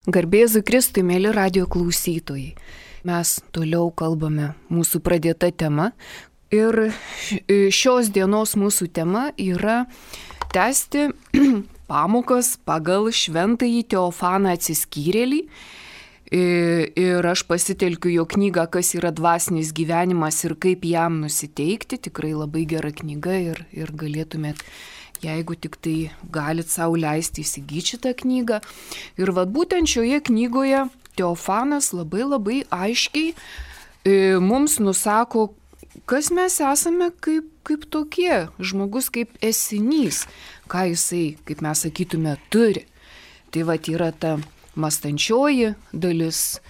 Garbėzui Kristui, mėly radio klausytojai. Mes toliau kalbame mūsų pradėta tema ir šios dienos mūsų tema yra tęsti pamokas pagal šventąjį Teofaną Atsiskyrėlį. Ir aš pasitelkiu jo knygą Kas yra dvasinis gyvenimas ir kaip jam nusiteikti. Tikrai labai gera knyga ir galėtumėt, jeigu tik tai galit sau leisti įsigyti šitą knygą. Ir būtent šioje knygoje Teofanas labai aiškiai mums nusako, kas mes esame kaip tokie, žmogus kaip esinys, ką jisai, kaip mes sakytume, turi. Tai yra ta mąstančioji dalis,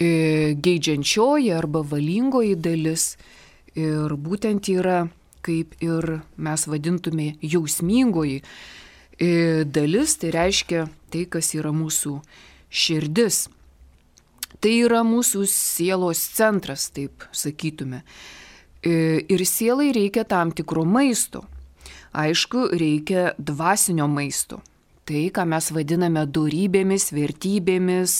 geidžiančioji arba valingoji dalis ir būtent yra, kaip ir mes vadintume, jausmingoji dalis, tai reiškia tai, kas yra mūsų širdis. Tai yra mūsų sielos centras, taip sakytume. Ir sielai reikia tam tikro maisto. Aišku, reikia dvasinio maisto. Tai, ką mes vadiname dorybėmis, vertybėmis,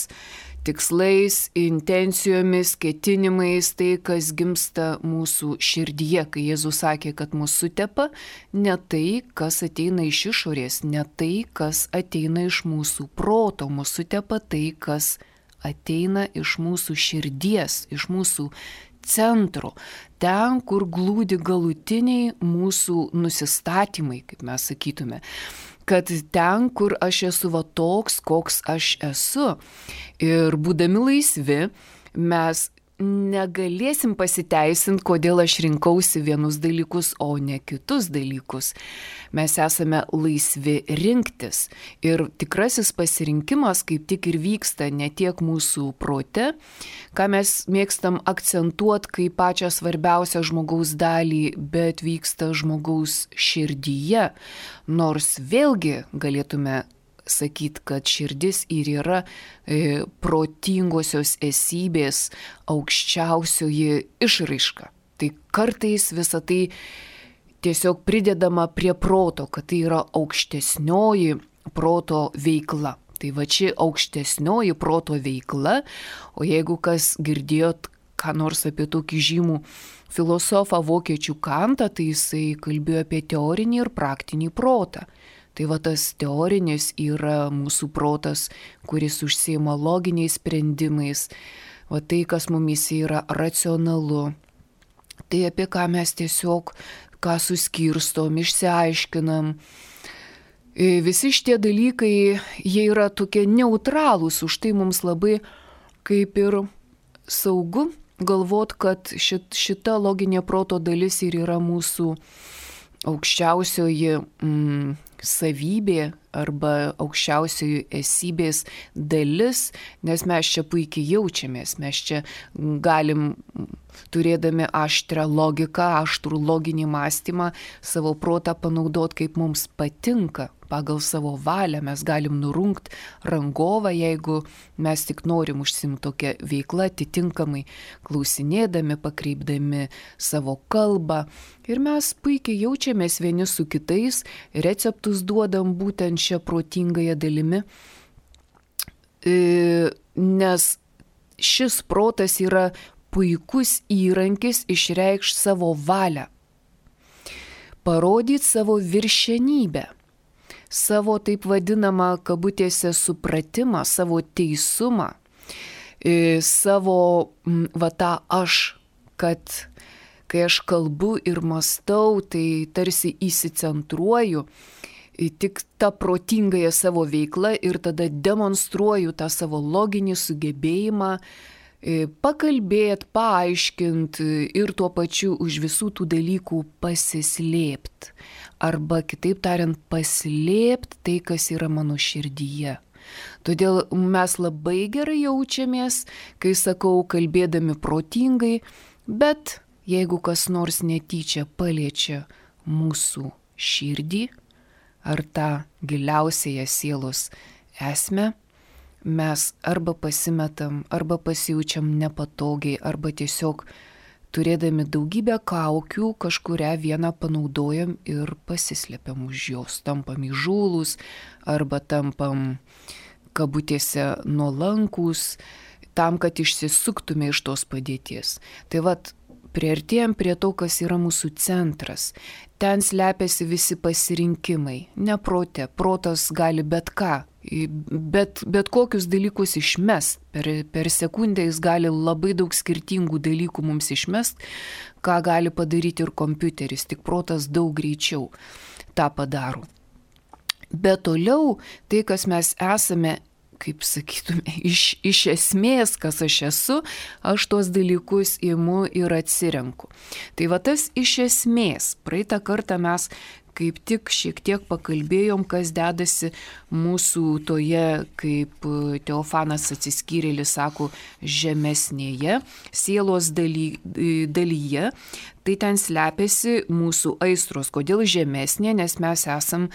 tikslais, intencijomis, ketinimais, tai, kas gimsta mūsų širdyje, kai Jėzus sakė, kad mūsų sutepa, ne tai, kas ateina iš išorės, ne tai, kas ateina iš mūsų proto, mūsų sutepa tai, kas ateina iš mūsų širdies, iš mūsų centro, ten, kur glūdi galutiniai mūsų nusistatymai, kaip mes sakytume. Kad ten, kur aš esu toks, koks aš esu. Ir būdami laisvi, mes negalėsim pasiteisinti, kodėl aš rinkausi vienus dalykus, o ne kitus dalykus. Mes esame laisvi rinktis. Ir tikrasis pasirinkimas kaip tik ir vyksta ne tiek mūsų prote, ką mes mėgstam akcentuoti kaip pačią svarbiausią žmogaus dalį, bet vyksta žmogaus širdyje. Nors vėlgi galėtume sakyti, kad širdis ir yra protingosios esybės aukščiausioji išraiška. Tai kartais visa tai tiesiog pridedama prie proto, kad tai yra aukštesnioji proto veikla. Tai ši aukštesnioji proto veikla, o jeigu kas girdėjot ką nors apie tokį žymų filosofą vokiečių Kantą, tai jisai kalbėjo apie teorinį ir praktinį protą. Tai tas teorinis yra mūsų protas, kuris užsiima loginiais sprendimais, tai, kas mumyse yra racionalu. Tai apie ką mes tiesiog, ką suskirstom, išsiaiškinam. Visi šitie dalykai, jie yra tokie neutralūs, už tai mums labai kaip ir saugu galvot, kad šita loginė proto dalis ir yra mūsų aukščiausioji savybė arba aukščiausioji esybės dalis, nes mes čia puikiai jaučiamės, mes čia galim, turėdami aštrą logiką, aštrų loginį mąstymą, savo protą panaudoti kaip mums patinka, pagal savo valią, mes galim nurungti rangovą, jeigu mes tik norim užsiimti tokią veiklą, atitinkamai klausinėdami, pakreipdami savo kalbą. Ir mes puikiai jaučiamės vieni su kitais, receptus duodam būtent šią protingąją dalimi, nes šis protas yra puikus įrankis išreikšti savo valią, parodyti savo viršenybę, savo taip vadinamą kabutėse supratimą, savo teisumą, savo tą aš, kad kai aš kalbu ir mąstau, tai tarsi įsicentruoju tik tą protingąją savo veiklą ir tada demonstruoju tą savo loginį sugebėjimą pakalbėti, paaiškinti ir tuo pačiu už visų tų dalykų pasislėpti. Arba kitaip tariant, paslėpti tai, kas yra mano širdyje. Todėl mes labai gerai jaučiamės, kai sakau, kalbėdami protingai, bet jeigu kas nors netyčia paliečia mūsų širdį ar tą giliausiąją sielos esmę, mes arba pasimetam, arba pasijaučiam nepatogiai, arba tiesiog turėdami daugybę kaukių kažkurią vieną panaudojam ir pasislėpiam už jos, tampam įžūlūs, arba tampam kabutėse nuolankūs, tam, kad išsisuktume iš tos padėties. Tai vat, priartėjom prie to, kas yra mūsų centras. Ten slepiasi visi pasirinkimai. Ne prote. Protas gali bet ką, bet kokius dalykus išmest. Per sekundę jis gali labai daug skirtingų dalykų mums išmest, ką gali padaryti ir kompiuteris. Tik protas daug greičiau tą padaro. Bet toliau tai, kas mes esame, kaip sakytume, iš esmės, kas aš esu, aš tuos dalykus imu ir atsirenku. Tai va tas iš esmės, praeitą kartą mes kaip tik šiek tiek pakalbėjom, kas dedasi mūsų toje, kaip Teofanas Atsiskyrėlis sako, žemesnėje sielos dalyje. Tai ten slepiasi mūsų aistros. Kodėl žemesnė? Nes mes esam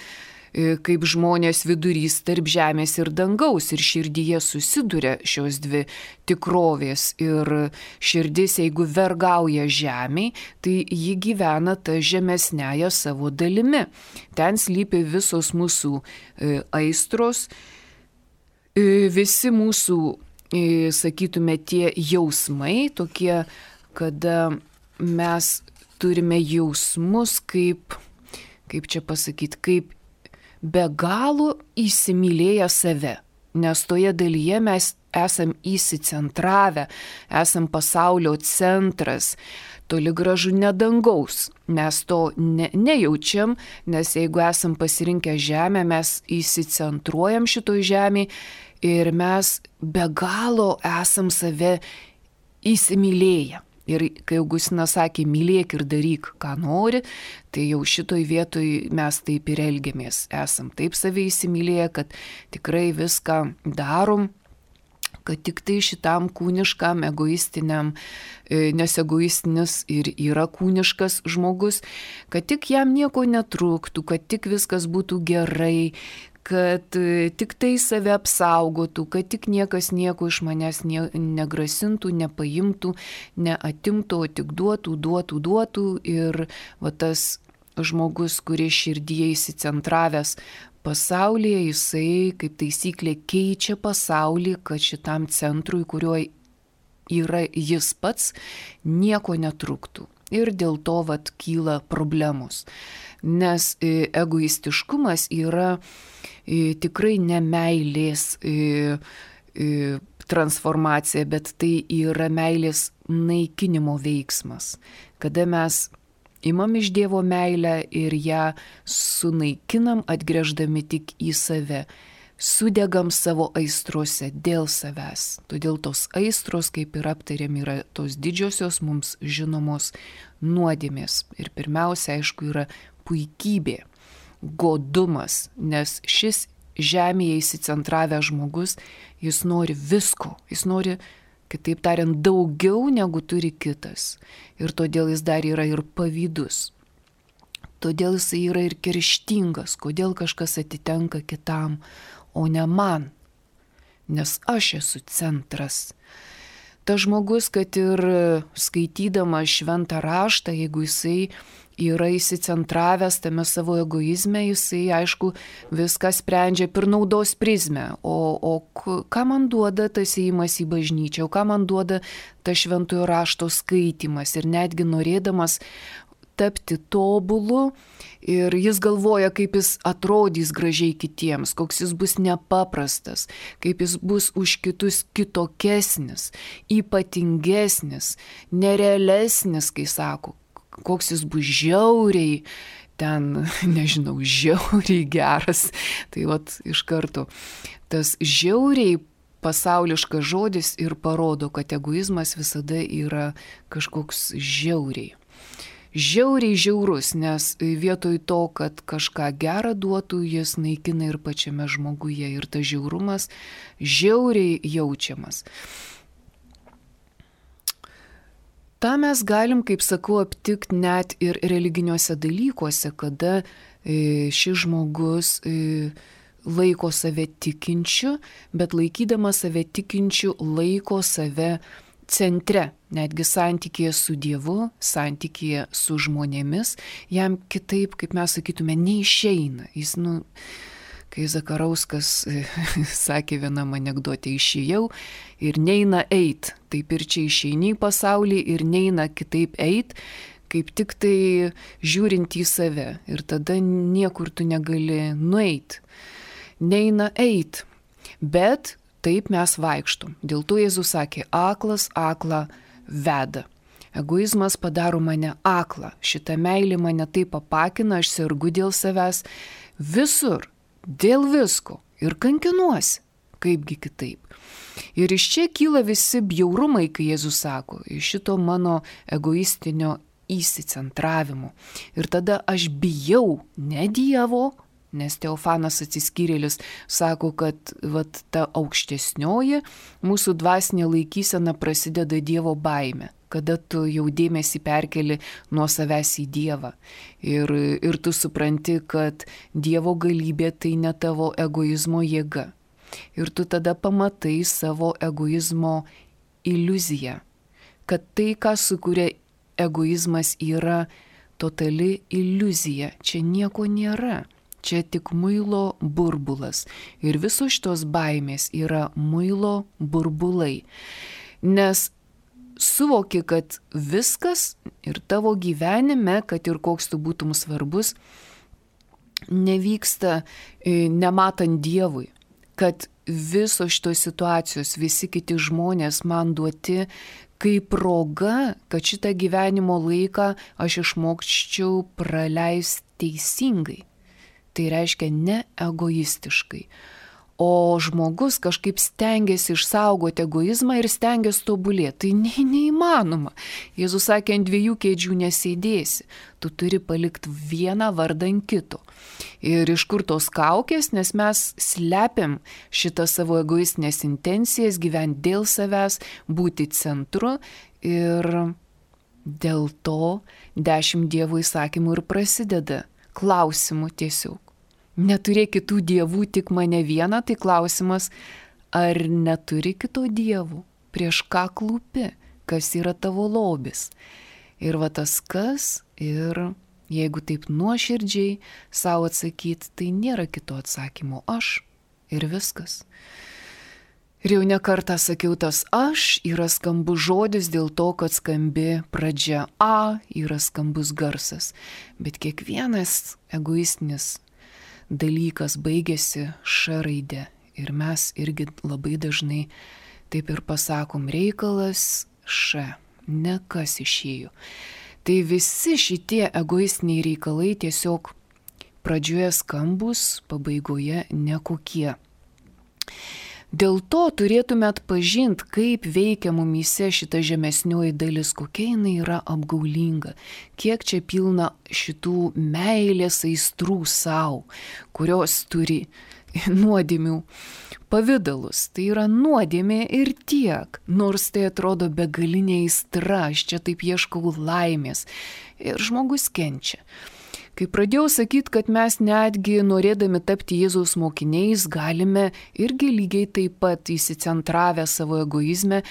kaip žmonės vidurys tarp žemės ir dangaus, ir širdyje susiduria šios dvi tikrovės. Ir širdis, jeigu vergauja žemėj, tai ji gyvena tą žemesnėje savo dalimi. Ten slypi visos mūsų aistros, visi mūsų, sakytume, tie jausmai, tokie, kada mes turime jausmus kaip čia pasakyti, kaip be galo įsimylėję save, nes toje dalyje mes esam įsicentravę, esam pasaulio centras, toli gražu ne dangaus. Mes to nejaučiam, nes jeigu esam pasirinkę žemę, mes įsicentruojam šitoj žemėje ir mes be galo esam save įsimylėję. Ir kai Augustinas sakė, mylėk ir daryk, ką nori, tai jau šitoj vietoj mes taip ir elgiamės. Esam taip save įsimylėję, kad tikrai viską darom, kad tik tai šitam kūniškam, egoistiniam, nes egoistinis ir yra kūniškas žmogus, kad tik jam nieko netrūktų, kad tik viskas būtų gerai, kad tik tai save apsaugotų, kad tik niekas nieko iš manęs negrasintų, nepaimtų, neatimtų, o tik duotų. Ir va tas žmogus, kuris širdyje įsicentravęs pasaulyje, jisai kaip taisyklė keičia pasaulį, kad šitam centrui, kurio yra jis pats, nieko netrūktų. Ir dėl to vat kyla problemos. Nes egoistiškumas yra tikrai ne meilės transformacija, bet tai yra meilės naikinimo veiksmas. Kada mes imam iš Dievo meilę ir ją sunaikinam, atgręždami tik į save. Sudegam savo aistrose dėl savęs. Todėl tos aistros, kaip ir aptarėm, yra tos didžiosios mums žinomos nuodėmės. Ir pirmiausia, aišku, yra puikybė, godumas, nes šis žemėje įsicentravęs žmogus, jis nori visko, jis nori, kitaip tariant, daugiau negu turi kitas. Ir todėl jis dar yra ir pavydus. Todėl jis yra ir kerštingas, kodėl kažkas atitenka kitam, o ne man, nes aš esu centras. Ta žmogus, kad ir skaitydama šventą raštą, jeigu jisai yra įsicentravęs tame savo egoizme, jisai, aišku, viską sprendžia per naudos prizmę. O ką man duoda tas ėjimas į bažnyčią, o ką man duoda tas šventojo rašto skaitymas ir netgi norėdamas tapti tobulu ir jis galvoja, kaip jis atrodys gražiai kitiems, koks jis bus nepaprastas, kaip jis bus už kitus kitokesnis, ypatingesnis, nerealesnis, kai sako, koks jis bus žiauriai, ten, nežinau, žiauriai geras. Tai vat iš karto tas žiauriai pasauliškas žodis ir parodo, kad egoizmas visada yra kažkoks žiauriai žiaurus, nes vietoj to, kad kažką gerą duotų, jis naikina ir pačiame žmoguje. Ir tas žiaurumas žiauriai jaučiamas. Ta mes galim, kaip sakau, aptikti net ir religiniuose dalykuose, kada šis žmogus laiko save tikinčiu, bet laikydamas save tikinčiu laiko save centre, netgi santykėje su Dievu, santykėje su žmonėmis, jam kitaip, kaip mes sakytume, neišeina. Jis, kai Zakarauskas sakė vienam anekdote, išėjau ir neina eit. Taip ir čia išeini į pasaulį ir neina kitaip eit, kaip tik tai žiūrint į save. Ir tada niekur tu negali nueit. Neina eit. Bet taip mes vaikštom. Dėl to Jėzus sakė, aklas aklą veda. Egoizmas padaro mane aklą. Šita meilė mane taip apakina, aš sergu dėl savęs visur, dėl visko ir kankinuosi. Kaipgi kitaip. Ir iš čia kyla visi bjaurumai, kai Jėzus sako, iš šito mano egoistinio įsicentravimo. Ir tada aš bijau ne Dievo, nes Teofanas atsiskyrėlis sako, kad ta aukštesnioji mūsų dvasinė laikysena prasideda Dievo baime, kada tu jau dėmesį perkeli nuo savęs į Dievą. Ir tu supranti, kad Dievo galybė tai ne tavo egoizmo jėga. Ir tu tada pamatai savo egoizmo iliuziją, kad tai, ką sukuria egoizmas, yra totali iliuzija. Čia nieko nėra. Čia tik muilo burbulas. Ir visos šitos baimės yra muilo burbulai. Nes suvoki, kad viskas ir tavo gyvenime, kad ir koks tu būtum svarbus, nevyksta nematant Dievui. Kad visos šitos situacijos, visi kiti žmonės man duoti kaip proga, kad šitą gyvenimo laiką aš išmokščiau praleisti teisingai. Tai reiškia ne egoistiškai. O žmogus kažkaip stengiasi išsaugoti egoizmą ir stengiasi tobulėti. Tai neįmanoma. Jėzus sakė, ant dviejų kėdžių nesėdėsi. Tu turi palikti vieną vardan kito. Ir iš kur tos kaukės, nes mes slepiam šitą savo egoistinės intencijas, gyventi dėl savęs, būti centru. Ir dėl to 10 Dievo įsakymų ir prasideda. Klausimų tiesiog. Neturėk kitų dievų, tik mane vieną, tai klausimas, ar neturi kito dievų, prieš ką klūpi, kas yra tavo lobis. Ir va tas kas, ir jeigu taip nuoširdžiai savo atsakyti, tai nėra kito atsakymo, aš ir viskas. Ir jau nekartą sakiau, tas aš yra skambus žodis dėl to, kad skambi pradžia A, yra skambus garsas. Bet kiekvienas egoistinis dalykas baigėsi Š raide. Ir mes irgi labai dažnai taip ir pasakom, reikalas Š, ne kas išėjo. Tai visi šitie egoistiniai reikalai tiesiog pradžioje skambus, pabaigoje nekokie. Dėl to turėtume atpažinti, kaip veikia mumyse šita žemesnioji dalis, kokia jinai yra apgaulinga, kiek čia pilna šitų meilės aistrų savo, kurios turi nuodėmių pavidalus. Tai yra nuodėmė ir tiek, nors tai atrodo begalinė aistra, aš čia taip ieškau laimės ir žmogus kenčia. Kai pradėjau sakyti, kad mes netgi norėdami tapti Jėzaus mokiniais galime irgi lygiai taip pat įsicentravę savo egoizme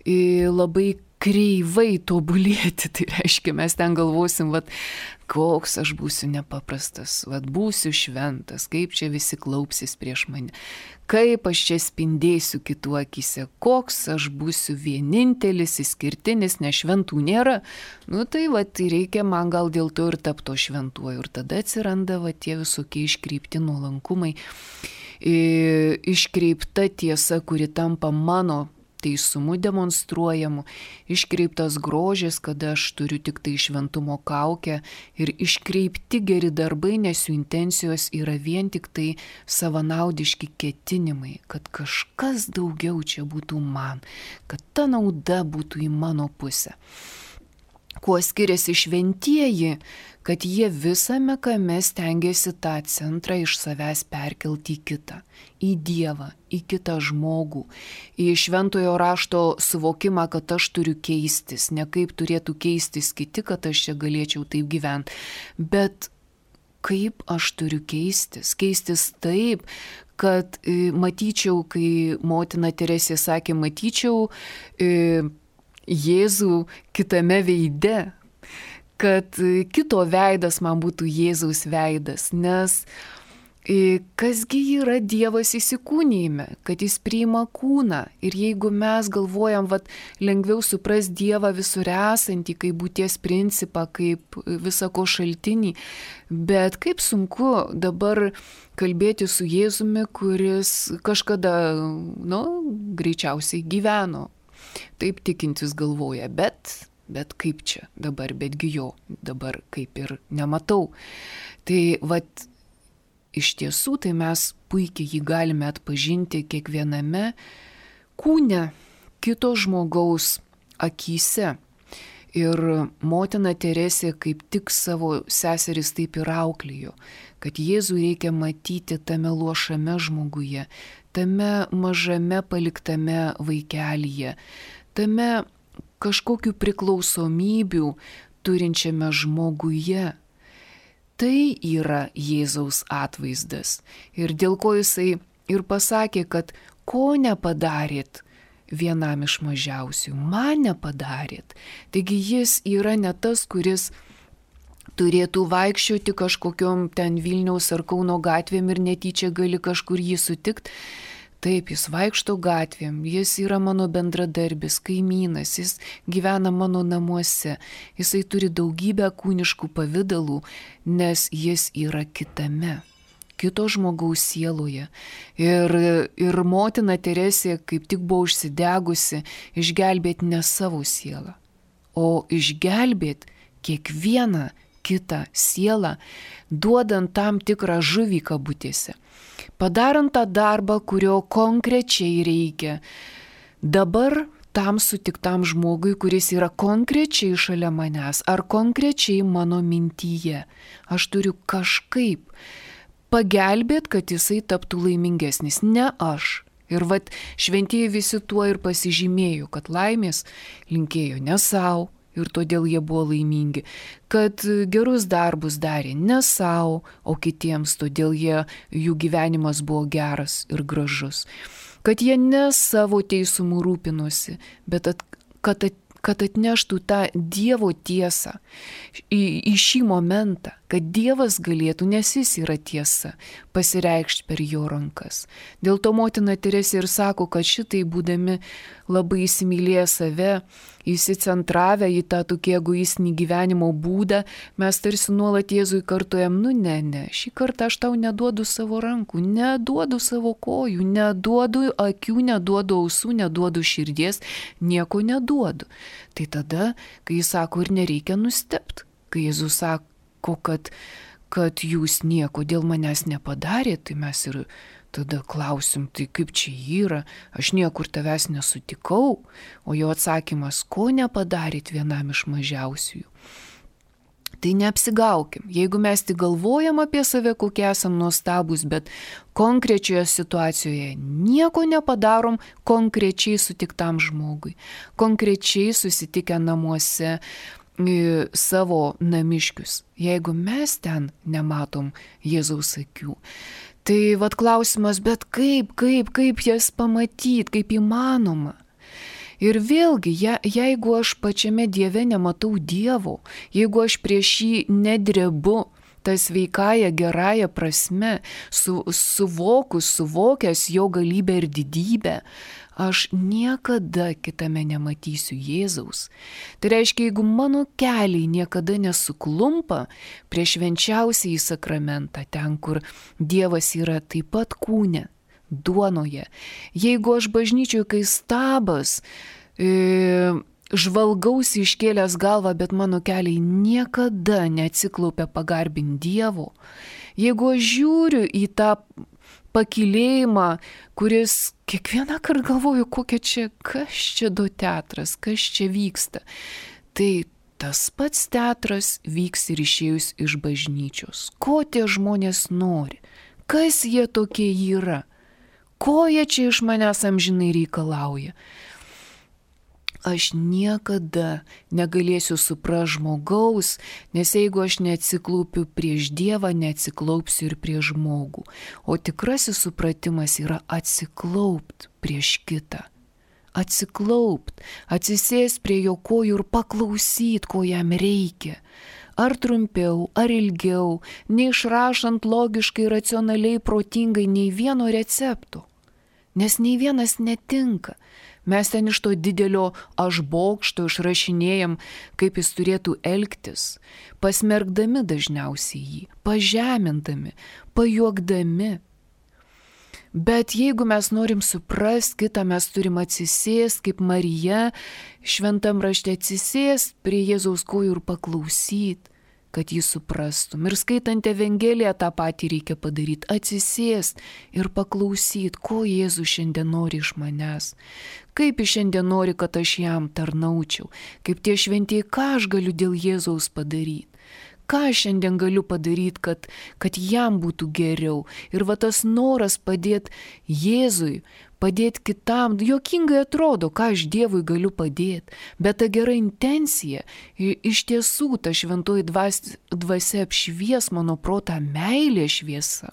labai kreivai tobulėti. Tai reiškia, mes ten galvosim, koks aš būsiu nepaprastas, būsiu šventas, kaip čia visi klaupsis prieš mane, kaip aš čia spindėsiu kitų akise, koks aš būsiu vienintelis, išskirtinis, nes šventų nėra. Tai reikia man gal dėl to ir tapto šventuoju. Ir tada atsiranda tie visokie iškreipti nuolankumai, iškreipta tiesa, kuri tampa mano teisumu demonstruojamu, iškreiptas grožis, kada aš turiu tik tai šventumo kaukę, ir iškreipti geri darbai, nes jų intencijos yra vien tik tai savanaudiški ketinimai, kad kažkas daugiau čia būtų man, kad ta nauda būtų į mano pusę. Kuo skiriasi šventieji, kad jie visame kame stengiasi tą centrą iš savęs perkelti į kitą, į Dievą, į kitą žmogų, į šventojo rašto suvokimą, kad aš turiu keistis, ne kaip turėtų keistis kiti, kad aš čia galėčiau taip gyventi, bet kaip aš turiu keistis taip, kad matyčiau, kai motina Teresė sakė, matyčiau Jėzų kitame veide, kad kito veidas man būtų Jėzaus veidas, nes Kasgi yra Dievas įsikūnijime, kad jis priima kūną. Ir jeigu mes galvojam, lengviau supras Dievą visur esantį, kaip būties principą, kaip visako šaltinį, bet kaip sunku dabar kalbėti su Jėzumi, kuris kažkada, greičiausiai gyveno. Taip tikintis galvoja, bet kaip čia dabar, betgi jo dabar kaip ir nematau. Tai iš tiesų, tai mes puikiai jį galime atpažinti kiekviename kūne, kito žmogaus akyse. Ir motina Teresė kaip tik savo seseris taip ir auklėjo, kad Jėzų reikia matyti tame luošame žmoguje, tame mažame paliktame vaikelyje, tame kažkokių priklausomybių turinčiame žmoguje. Tai yra Jėzaus atvaizdas. Ir dėl ko jisai ir pasakė, kad ko nepadarėt vienam iš mažiausių, man nepadarėt. Taigi jis yra ne tas, kuris turėtų vaikščioti kažkokiom ten Vilniaus ar Kauno gatvėm ir netyčia gali kažkur jį sutikti. Taip, jis vaikšto gatvėm, jis yra mano bendradarbis, kaimynas, jis gyvena mano namuose, jisai turi daugybę kūniškų pavydalų, nes jis yra kitame, kito žmogaus sieloje. Ir motina Teresė kaip tik buvo užsidegusi išgelbėti ne savo sielą, o išgelbėti kiekvieną kitą sielą, duodant tam tikrą žuvį kabutėse. Padarant tą darbą, kurio konkrečiai reikia dabar tam sutiktam žmogui, kuris yra konkrečiai šalia manęs ar konkrečiai mano mintyje. Aš turiu kažkaip pagelbėti, kad jisai taptų laimingesnis, ne aš. Ir šventieji visi tuo ir pasižymėjo, kad laimės linkėjo ne savo. Ir todėl jie buvo laimingi, kad gerus darbus darė ne savo, o kitiems, todėl jų gyvenimas buvo geras ir gražus. Kad jie ne savo teisumu rūpinosi, bet kad atneštų tą Dievo tiesą į šį momentą, kad Dievas galėtų, nes jis yra tiesa, pasireikšti per jo rankas. Dėl to motina Teresė ir sako, kad šitai būdami labai įsimylėję save, įsicentravę į tą tokį egoistinį gyvenimo būdą, mes tarsi nuolat Jėzui kartojam, ne, šį kartą aš tau neduodu savo rankų, neduodu savo kojų, neduodu akių, neduodu ausų, neduodu širdies, nieko neduodu. Tai tada, kai jis sako, ir nereikia nustebti, kai Jėzus sako, kad jūs nieko dėl manęs nepadarėte, tai mes ir tada klausim, tai kaip čia yra, aš niekur tavęs nesutikau, o jo atsakymas, ko nepadarėt vienam iš mažiausiųjų. Tai neapsigaukim, jeigu mes tik galvojam apie save, kokie esam nuostabus, bet konkrečioje situacijoje nieko nepadarom konkrečiai sutiktam žmogui, konkrečiai susitikę namuose savo namiškius, jeigu mes ten nematom Jėzaus akių. Tai klausimas, bet kaip jas pamatyt, kaip įmanoma? Ir vėlgi, jeigu aš pačiame Dieve nematau Dievo, jeigu aš prieš jį nedrebu, ta sveikąja, gerąja prasme, suvokęs jo galybę ir didybę, aš niekada kitame nematysiu Jėzaus. Tai reiškia, jeigu mano keliai niekada nesuklumpa prie švenčiausiąjį sakramentą, ten, kur Dievas yra taip pat kūne, duonoje, jeigu aš bažnyčioje kai stabas, žvalgausi iškėlęs galvą, bet mano keliai niekada neatsiklaupia pagarbinti Dievo, jeigu aš žiūriu į tą pakylėjimą, kuris kiekvieną kartą galvoju, kas čia do teatras, kas čia vyksta. Tai tas pats teatras vyks ir išėjus iš bažnyčios. Ko tie žmonės nori? Kas jie tokie yra? Ko jie čia iš manęs amžinai reikalauja? Aš niekada negalėsiu suprasti žmogaus, nes jeigu aš neatsiklaupiu prieš Dievą, neatsiklaupsiu ir prieš žmogų. O tikrasis supratimas yra atsiklaupt prieš kitą. Atsiklaupt, atsisėst prie jo kojų ir paklausyt, ko jam reikia. ar trumpiau, ar ilgiau, neišrašant logiškai, racionaliai, protingai nei vieno recepto. Nes nei vienas netinka. Mes ten iš to didelio aš bokšto išrašinėjam, kaip jis turėtų elgtis, pasmergdami dažniausiai jį, pažemindami, pajuokdami. Bet jeigu mes norim suprasti kitą, mes turim atsisėsti, kaip Marija šventam rašte atsisėsti prie Jėzaus kojų ir paklausyti, kad jį suprastum. Ir skaitant Evangeliją tą patį reikia padaryti, atsisėsti ir paklausyti, ko Jėzus šiandien nori iš manęs, kaip jis šiandien nori, kad aš jam tarnaučiau, kaip tie šventieji, ką aš galiu dėl Jėzaus padaryti. Ką aš šiandien galiu padaryti, kad jam būtų geriau. Ir va tas noras padėti Jėzui, padėti kitam, juokingai atrodo, ką aš Dievui galiu padėti. Bet ta gera intencija, iš tiesų ta šventoji dvasia apšvies mano protą, meilė šviesa.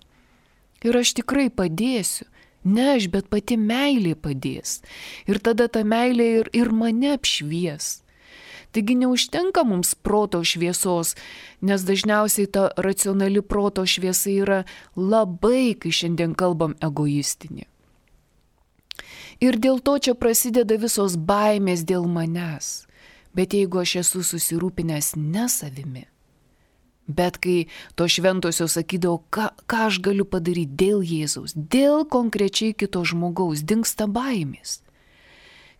Ir aš tikrai padėsiu. Ne aš, bet pati meilė padės. Ir tada ta meilė ir mane apšvies. Taigi neužtenka mums proto šviesos, nes dažniausiai ta racionali proto šviesa yra labai, kai šiandien kalbam, egoistinė. Ir dėl to čia prasideda visos baimės dėl manęs. Bet jeigu aš esu susirūpinęs ne savimi, bet kai to šventosios sakydavo, ką aš galiu padaryti dėl Jėzaus, dėl konkrečiai kito žmogaus, dingsta baimės.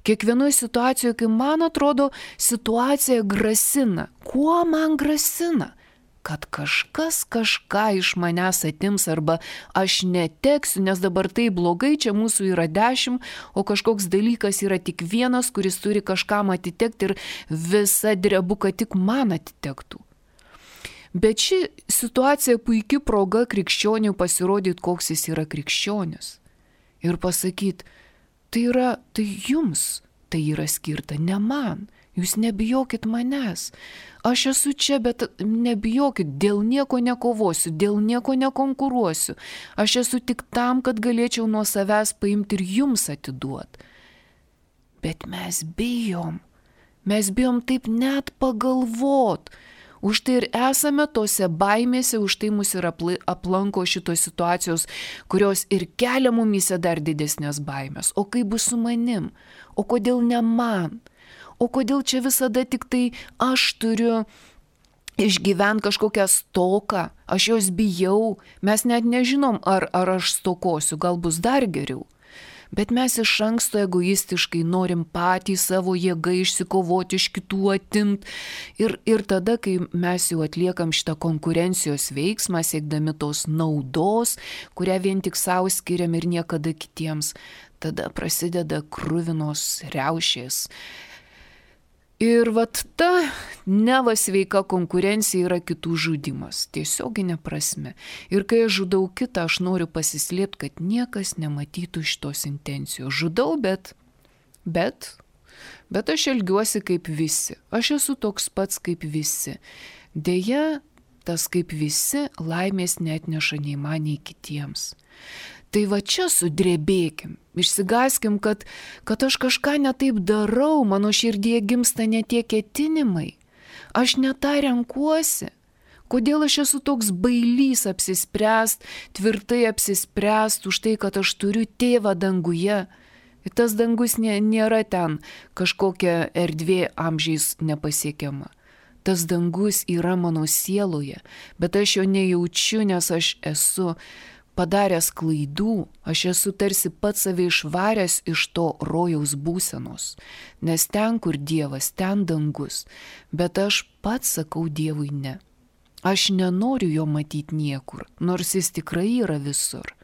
Kiekvienoje situacijoje, kai man atrodo, situacija grasina. Kuo man grasina? Kad kažkas kažką iš manęs atims arba aš neteksiu, nes dabar tai blogai, čia mūsų yra 10, o kažkoks dalykas yra tik vienas, kuris turi kažkam atitekti ir visa drebu, kad tik man atitektų. Bet ši situacija puikia proga krikščioniui pasirodyti, koks jis yra krikščionis. Ir pasakyti, tai jums tai yra skirta, ne man. Jūs nebijokit manęs. Aš esu čia, bet nebijokit, dėl nieko nekovosiu, dėl nieko nekonkuruosiu. Aš esu tik tam, kad galėčiau nuo savęs paimti ir jums atiduoti. Bet mes bijom. Mes bijom taip net pagalvot. Už tai ir esame tose baimėse, už tai mus ir aplanko šitos situacijos, kurios ir kelia mumyse dar didesnės baimės. O kaip bus su manim? O kodėl ne man? O kodėl čia visada tik tai aš turiu išgyventi kažkokią stoką? Aš jos bijau, mes net nežinom, ar aš stokosiu, gal bus dar geriau. Bet mes iš anksto egoistiškai norim patį savo jėgą išsikovoti, iš kitų atimt. Ir tada, kai mes jau atliekam šitą konkurencijos veiksmą, siekdami tos naudos, kurią vien tik savo skiriam ir niekada kitiems, tada prasideda kruvinos riaušės. Ir vat ta neva sveika konkurencija yra kitų žudimas, tiesioginė prasme. Ir kai aš žudau kitą, aš noriu pasislėpti, kad niekas nematytų šitos intencijos. Žudau, bet aš elgiuosi kaip visi. Aš esu toks pats kaip visi. Deja, tas kaip visi laimės neatneša nei man, nei kitiems. Tai va čia sudrebėkim, išsigaskim, kad aš kažką netaip darau, mano širdyje gimsta ne tie ketinimai. Aš ne tą renkuosi. Kodėl aš esu toks bailys apsispręst, tvirtai apsispręst už tai, kad aš turiu tėvą danguje. Ir tas dangus nėra ten kažkokia erdvė amžiais nepasiekiama. Tas dangus yra mano sieloje, bet aš jo nejaučiu, nes aš esu padaręs klaidų, aš esu tarsi pats save išvaręs iš to rojaus būsenos, nes ten, kur Dievas, ten dangus, bet aš pats sakau Dievui ne. Aš nenoriu jo matyti niekur, nors jis tikrai yra visur,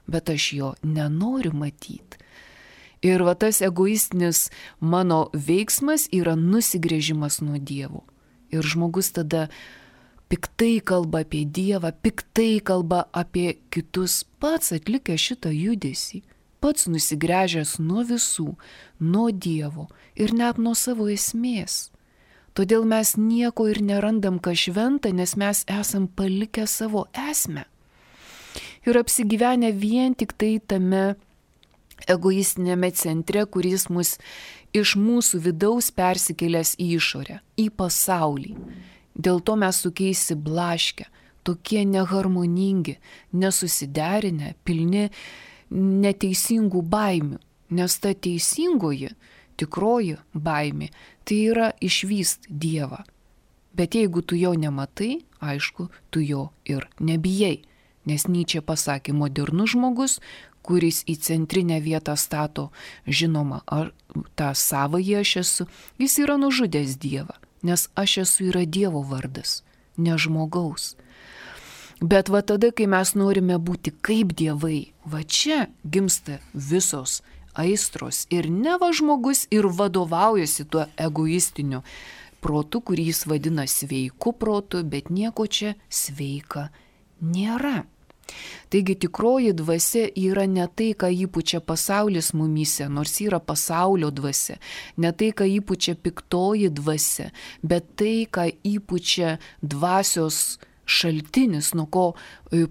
bet aš jo nenoriu matyti. Ir va tas egoistinis mano veiksmas yra nusigręžimas nuo Dievo. Ir žmogus tada piktai kalba apie Dievą, piktai kalba apie kitus, pats atlikęs šitą judesį, pats nusigręžęs nuo visų, nuo Dievo ir net nuo savo esmės. Todėl mes nieko ir nerandam, ką šventa, nes mes esam palikę savo esmę. Ir apsigyvenę vien tik tai tame egoistinėme centre, kuris mus iš mūsų vidaus persikėlęs į išorę, į pasaulį. Dėl to mes sukeisi blaškę, tokie neharmoningi, nesusiderinę, pilni neteisingų baimių. Nes ta teisingoji, tikroji baimė, tai yra išvyst Dievą. Bet jeigu tu jo nematai, aišku, tu jo ir nebijai. Nes Nyčė pasakė, modernus žmogus, kuris į centrinę vietą stato, žinoma, tą savąjį aš esu, jis yra nužudęs Dievą. Nes aš esu yra Dievo vardas, ne žmogaus. Bet va tada, kai mes norime būti kaip dievai, va čia gimsta visos aistros ir ne va žmogus ir vadovaujasi tuo egoistiniu protu, kurį jis vadina sveiku protu, bet nieko čia sveika nėra. Taigi tikroji dvasia yra ne tai, ką įpučia pasaulis mumyse, nors yra pasaulio dvasia, ne tai, ką įpučia piktoji dvasia, bet tai, ką įpučia dvasios šaltinis, nuo ko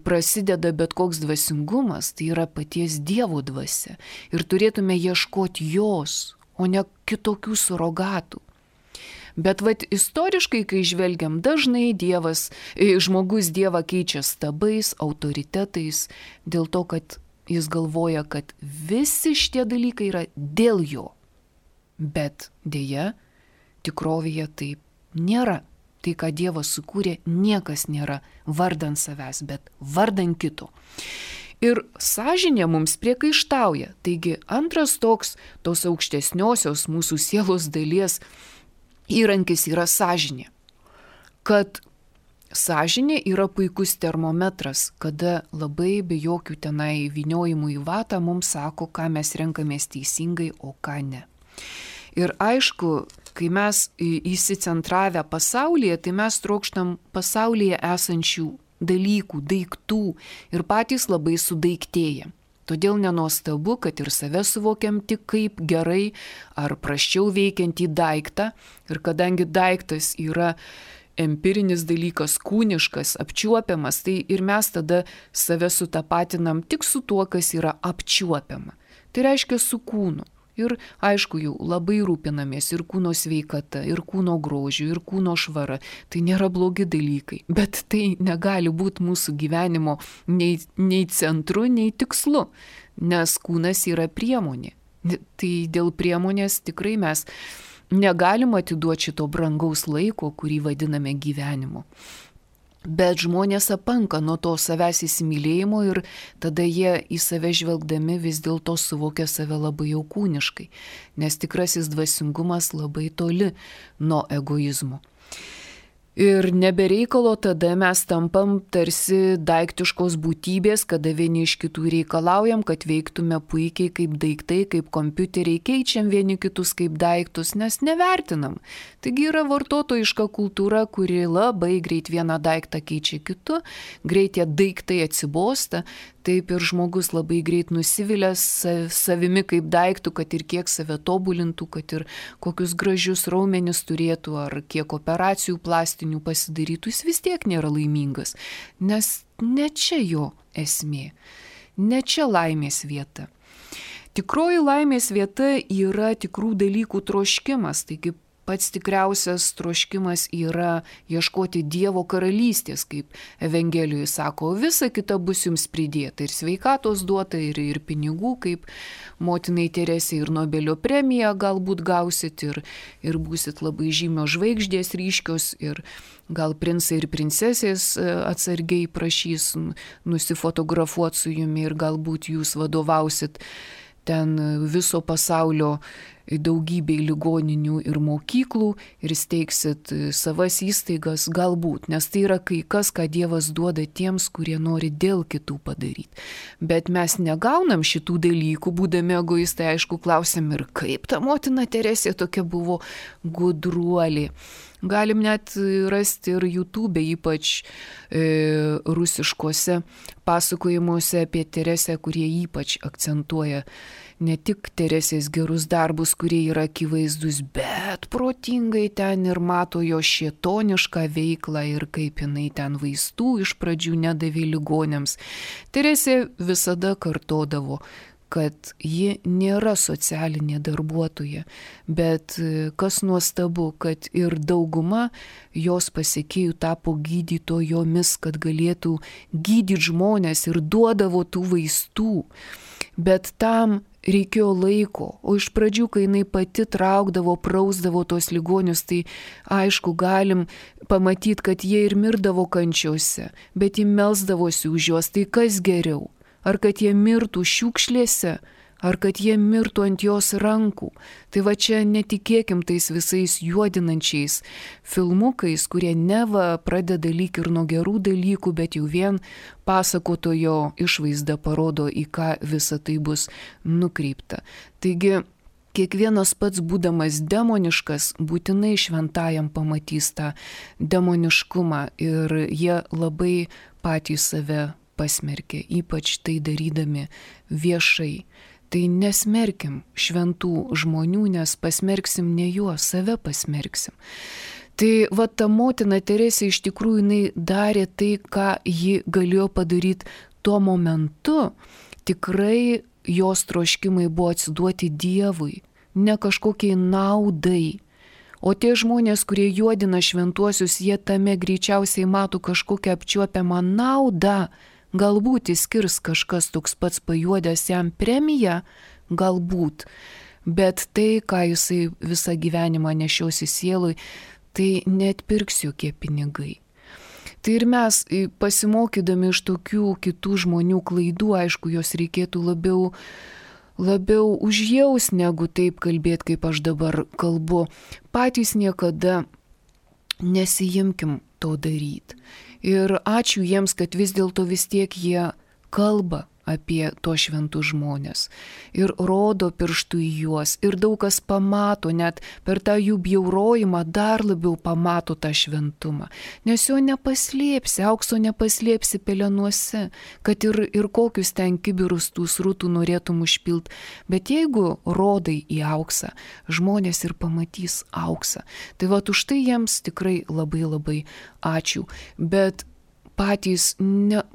prasideda bet koks dvasingumas, tai yra paties Dievo dvasia. Ir turėtume ieškoti jos, o ne kitokių surogatų. Bet istoriškai, kai žvelgiam, dažnai žmogus Dievą keičia stabais, autoritetais, dėl to, kad jis galvoja, kad visi šitie dalykai yra dėl jo. Bet dėja, tikrovėje taip nėra. Tai, ką Dievas sukūrė, niekas nėra vardan savęs, bet vardan kito. Ir sąžinė mums priekaištauja. Taigi antras tos aukštesniosios mūsų sielos dalies įrankis yra sąžinė. Kad sąžinė yra puikus termometras, kada labai be jokių tenai vyniojimų į vatą mums sako, ką mes renkamės teisingai, o ką ne. Ir aišku, kai mes įsicentravę pasaulyje, tai mes trokštam pasaulyje esančių dalykų, daiktų ir patys labai sudaiktėję. Todėl nenuostabu, kad ir save suvokiam tik kaip gerai ar prasčiau veikiantį daiktą. Ir kadangi daiktas yra empirinis dalykas, kūniškas, apčiuopiamas, tai ir mes tada save sutapatinam tik su tuo, kas yra apčiuopiama. Tai reiškia su kūnu. Ir aišku, jau labai rūpinamės ir kūno sveikata, ir kūno grožiu, ir kūno švara. Tai nėra blogi dalykai, bet tai negali būti mūsų gyvenimo nei centru, nei tikslu, nes kūnas yra priemonė. Tai dėl priemonės tikrai mes negalim atiduoti šito brangaus laiko, kurį vadiname gyvenimu. Bet žmonės apanka nuo to savęs įsimylėjimo ir tada jie į save žvelgdami vis dėlto suvokia save labai jau kūniškai, nes tikrasis dvasingumas labai toli nuo egoizmo. Ir nebereikalo tada mes tampam tarsi daiktiškos būtybės, kada vieni iš kitų reikalaujam, kad veiktume puikiai kaip daiktai, kaip kompiuteriai, keičiam vieni kitus kaip daiktus, nes nevertinam. Taigi yra vartotojiška kultūra, kuri labai greit vieną daiktą keičia kitu, greit tie daiktai atsibosta, taip ir žmogus labai greit nusivilia savimi kaip daiktų, kad ir kiek save tobulintų, kad ir kokius gražius raumenis turėtų, ar kiek operacijų plastinių pasidarytų, jis vis tiek nėra laimingas, nes ne čia jo esmė, ne čia laimės vieta. Tikroji laimės vieta yra tikrų dalykų troškimas, taigi pats tikriausias troškimas yra ieškoti Dievo karalystės, kaip Evangelijoje sako, visa kita bus jums pridėta, ir sveikatos duota, ir pinigų, kaip motinai Teresei, ir Nobelio premiją galbūt gausit, ir būsit labai žymios žvaigždės ryškios, ir gal princai ir princesės atsargiai prašys nusifotografuoti su jumi, ir galbūt jūs vadovausit ten viso pasaulio daugybei ligoninių ir mokyklų ir steigsit savas įstaigas, galbūt, nes tai yra kai kas, ką Dievas duoda tiems, kurie nori dėl kitų padaryti. Bet mes negaunam šitų dalykų, būdami egoistai, aišku, klausim, ir kaip ta motina Teresė tokia buvo gudruolė. Galim net rasti ir YouTube, ypač rusiškose pasakojimuose apie Teresę, kurie ypač akcentuoja ne tik Teresės gerus darbus, kurie yra akivaizdus, bet protingai ten ir mato jo šėtonišką veiklą ir kaip jinai ten vaistų iš pradžių nedavė ligoniams. Teresė visada kartodavo, kad ji nėra socialinė darbuotoja, bet kas nuostabu, kad ir dauguma jos pasekėjų tapo gydytojomis, kad galėtų gydyti žmonės ir duodavo tų vaistų. Bet tam reikėjo laiko, o iš pradžių, kai jinai pati traukdavo, prausdavo tos ligonius, tai aišku, galim pamatyti, kad jie ir mirdavo kančiose, bet ji melsdavosi už juos, tai kas geriau? Ar kad jie mirtų šiukšlėse, ar kad jie mirtų ant jos rankų. Tai va čia netikėkim tais visais juodinančiais filmukais, kurie neva pradeda lyg ir nuo gerų dalykų, bet jau vien pasakotojo išvaizda parodo, į ką visa tai bus nukreipta. Taigi, kiekvienas pats būdamas demoniškas, būtinai šventajam pamatys tą demoniškumą ir jie labai patys save pasmerkė, ypač tai darydami viešai. Tai nesmerkim šventų žmonių, nes pasmerksim ne juos, save pasmerksim. Tai va ta motina Teresė iš tikrųjų jinai darė tai, ką ji galėjo padaryti tuo momentu. Tikrai jos troškimai buvo atsiduoti Dievui, ne kažkokiai naudai. O tie žmonės, kurie juodina šventuosius, jie tame greičiausiai mato kažkokią apčiuopiamą naudą. Galbūt įskirs kažkas toks pats pajuodęs jam premiją, galbūt, bet tai, ką jisai visą gyvenimą nešiosi sielui, tai neatpirks jokie pinigai. Tai ir mes, pasimokydami iš tokių kitų žmonių klaidų, aišku, jos reikėtų labiau užjaus, negu taip kalbėti, kaip aš dabar kalbu. Patys niekada nesijimkim to daryti. Ir ačiū jiems, kad vis dėlto vis tiek jie kalba apie tuos šventus žmonės ir rodo pirštų į juos. Ir daug kas pamato, net per tą jų bjaurojimą dar labiau pamato tą šventumą. Nes jo nepaslėpsi, aukso nepaslėpsi pelenuose, kad ir kokius ten kibirus tų srutų norėtum užpilt. Bet jeigu rodai į auksą, žmonės ir pamatys auksą. Tai va už tai jiems tikrai labai labai ačiū. Bet patys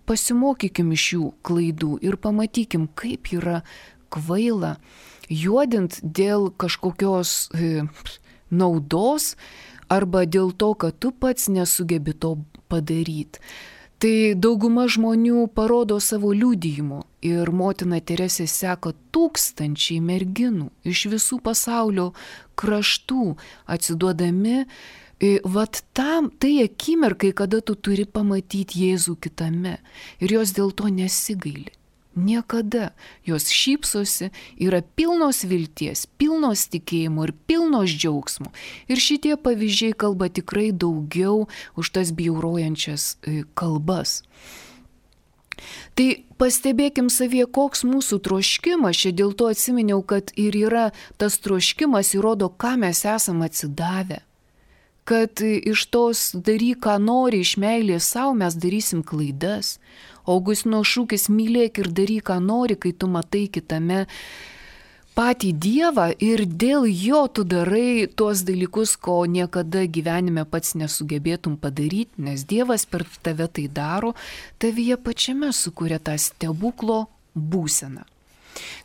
pasimokykim iš jų klaidų ir pamatykim, kaip yra kvaila juodint dėl kažkokios naudos arba dėl to, kad tu pats nesugebi to padaryti. Tai dauguma žmonių parodo savo liudijimu ir motina Teresė seka tūkstančiai merginų iš visų pasaulio kraštų atsiduodami. Vat tam, tai akimirkai, kada tu turi pamatyti Jėzų kitame ir jos dėl to nesigaili. Niekada. Jos šypsosi, yra pilnos vilties, pilnos tikėjimo ir pilnos džiaugsmo. Ir šitie pavyzdžiai kalba tikrai daugiau už tas bjaurojančias kalbas. Tai pastebėkim savyje, koks mūsų troškimas, čia dėl to atsiminiau, kad ir yra tas troškimas, įrodo, ką mes esam atsidavę. Kad iš tos daryk, ką nori, iš meilės savo mes darysim klaidas. Augustino šūkis mylėk ir daryk, ką nori, kai tu matai kitame patį Dievą ir dėl jo tu darai tuos dalykus, ko niekada gyvenime pats nesugebėtum padaryti, nes Dievas per tave tai daro, tavyje pačiame sukuria tą stebuklo būseną.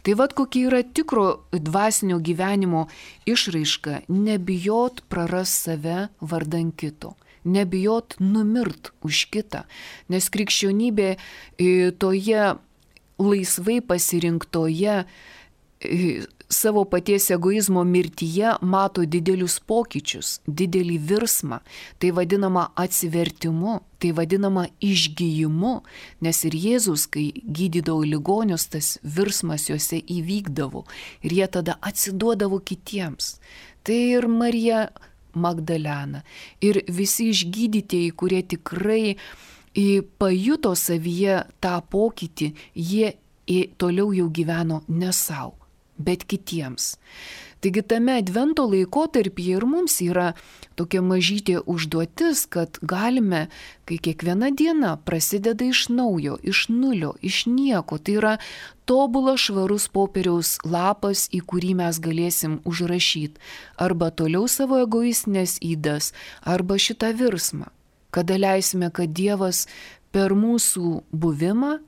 Tai vad kokia yra tikro dvasinio gyvenimo išraiška, nebijot prarast save vardan kito, nebijot numirt už kitą, nes krikščionybė toje laisvai pasirinktoje savo paties egoizmo mirtyje mato didelius pokyčius, didelį virsmą, tai vadinama atsivertimu, tai vadinama išgijimu, nes ir Jėzus, kai gydydavo ligonius, tas virsmas juose įvykdavo ir jie tada atsiduodavo kitiems. Tai ir Marija Magdalena, ir visi išgydytieji, kurie tikrai pajuto savyje tą pokytį, jie toliau jau gyveno ne savo, bet kitiems. Taigi tame advento laikotarpyje ir mums yra tokia mažytė užduotis, kad galime, kai kiekviena diena prasideda iš naujo, iš nulio, iš nieko, tai yra tobulas švarus popieriaus lapas, į kurį mes galėsim užrašyti arba toliau savo egoistinės ydas, arba šitą virsmą, kada leisime, kad Dievas per mūsų buvimą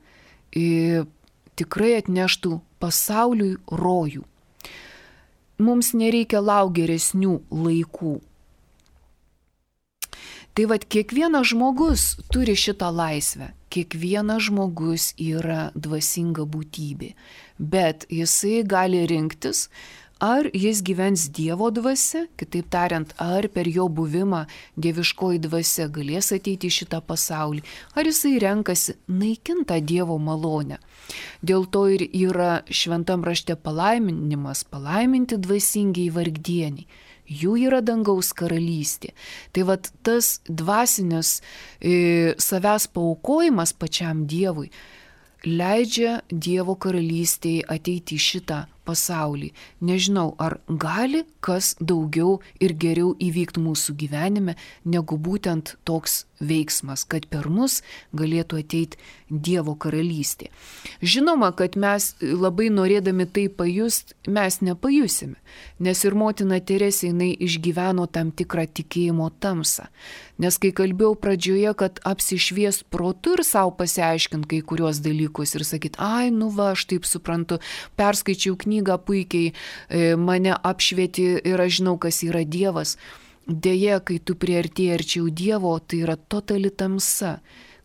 tikrai atneštų pasauliui rojų. Mums nereikia laukti geresnių laikų. Tai vat kiekvienas žmogus turi šitą laisvę, kiekvienas žmogus yra dvasinga būtybė, bet jisai gali rinktis, ar jis gyvens Dievo dvasia, kitaip tariant, ar per jo buvimą dieviškoji dvasia galės ateiti į šitą pasaulį, ar jisai renkasi naikintą Dievo malonę. Dėl to ir yra šventam rašte palaiminimas, palaiminti dvasingiai vargdieniai. Jų yra dangaus karalystė. Tai vat tas dvasinis savęs paaukojimas pačiam Dievui leidžia Dievo karalystėje ateiti į šitą pasaulį. Nežinau, ar gali kas daugiau ir geriau įvykti mūsų gyvenime, negu būtent toks veiksmas, kad per mus galėtų ateiti Dievo karalystė. Žinoma, kad mes labai norėdami tai pajust, mes nepajusime, nes ir motina Teresė jinai išgyveno tam tikrą tikėjimo tamsą. Nes kai kalbėjau pradžioje, kad apsišvies protu ir savo pasiaiškint kai kuriuos dalykus ir sakyt, ai, nu va, aš taip suprantu, perskaičiau knygą puikiai, mane apšvieti ir aš žinau, kas yra Dievas. Deja, kai tu priartėji arčiau Dievo, tai yra totali tamsa,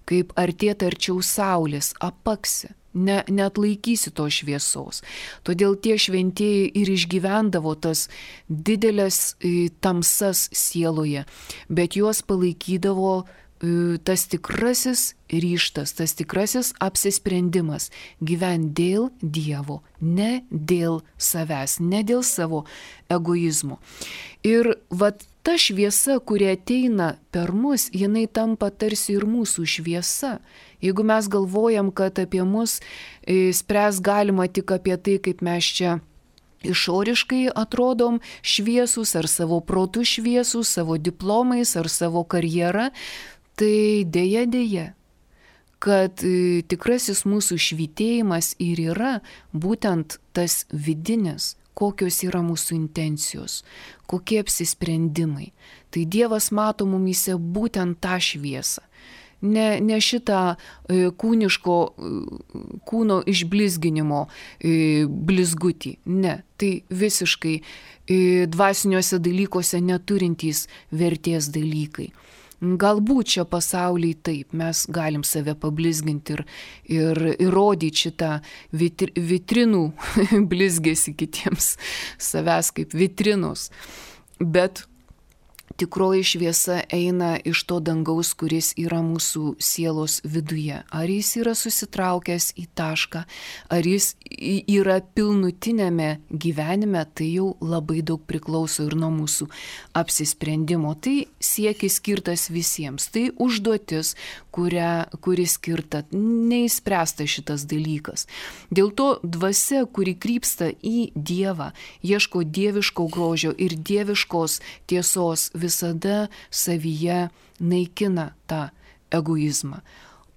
kaip artėti arčiau saulės, apaksi, neatlaikysi to šviesos. Todėl tie šventieji ir išgyvendavo tas didelės tamsas sieloje, bet juos palaikydavo tas tikrasis ryžtas, tas tikrasis apsisprendimas gyventi dėl Dievo, ne dėl savęs, ne dėl savo egoizmo. Ir vat ta šviesa, kuri ateina per mus, jinai tampa tarsi ir mūsų šviesa. Jeigu mes galvojam, kad apie mus spręs galima tik apie tai, kaip mes čia išoriškai atrodom šviesūs, ar savo protų šviesūs, savo diplomais, ar savo karjera, tai dėja, kad tikrasis mūsų švytėjimas ir yra būtent tas vidinis, kokios yra mūsų intencijos, kokie apsisprendimai. Tai Dievas mato mumyse būtent tą šviesą. Ne šitą kūniško kūno išblizginimo blizgutį. Ne, tai visiškai dvasiniuose dalykuose neturintys vertės dalykai. Galbūt čia pasaulyje taip, mes galim save pablizginti ir įrodyti šitą vitrinų blizgėsi kitiems, savęs kaip vitrinos. Bet tikroji šviesa eina iš to dangaus, kuris yra mūsų sielos viduje. Ar jis yra susitraukęs į tašką, ar jis yra pilnutinėme gyvenime, tai jau labai daug priklauso ir nuo mūsų apsisprendimo. Tai siekis skirtas visiems, tai užduotis, kuri skirta, neįspręsta šitas dalykas. Dėl to dvasia, kuri krypsta į Dievą, ieško dieviško grožio ir dieviškos tiesos, visada savyje naikina tą egoizmą.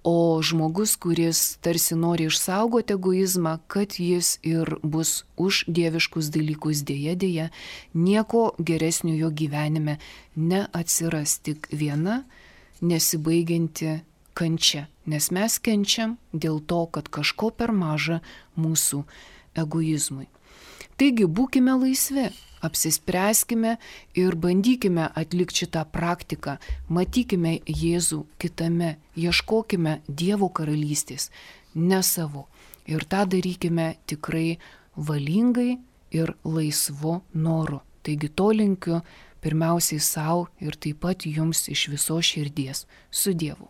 O žmogus, kuris tarsi nori išsaugoti egoizmą, kad jis ir bus už dieviškus dalykus, dėja, nieko geresnio jo gyvenime neatsiras, tik viena nesibaigianti kančia. Nes mes kenčiam dėl to, kad kažko per maža mūsų egoizmui. Taigi būkime laisvi. Apsispręskime ir bandykime atlikti šitą praktiką, matykime Jėzų kitame, ieškokime Dievo karalystės, ne savo. Ir tą darykime tikrai valingai ir laisvu noru. Taigi to linkiu pirmiausiai savo ir taip pat jums iš visos širdies. Su Dievu.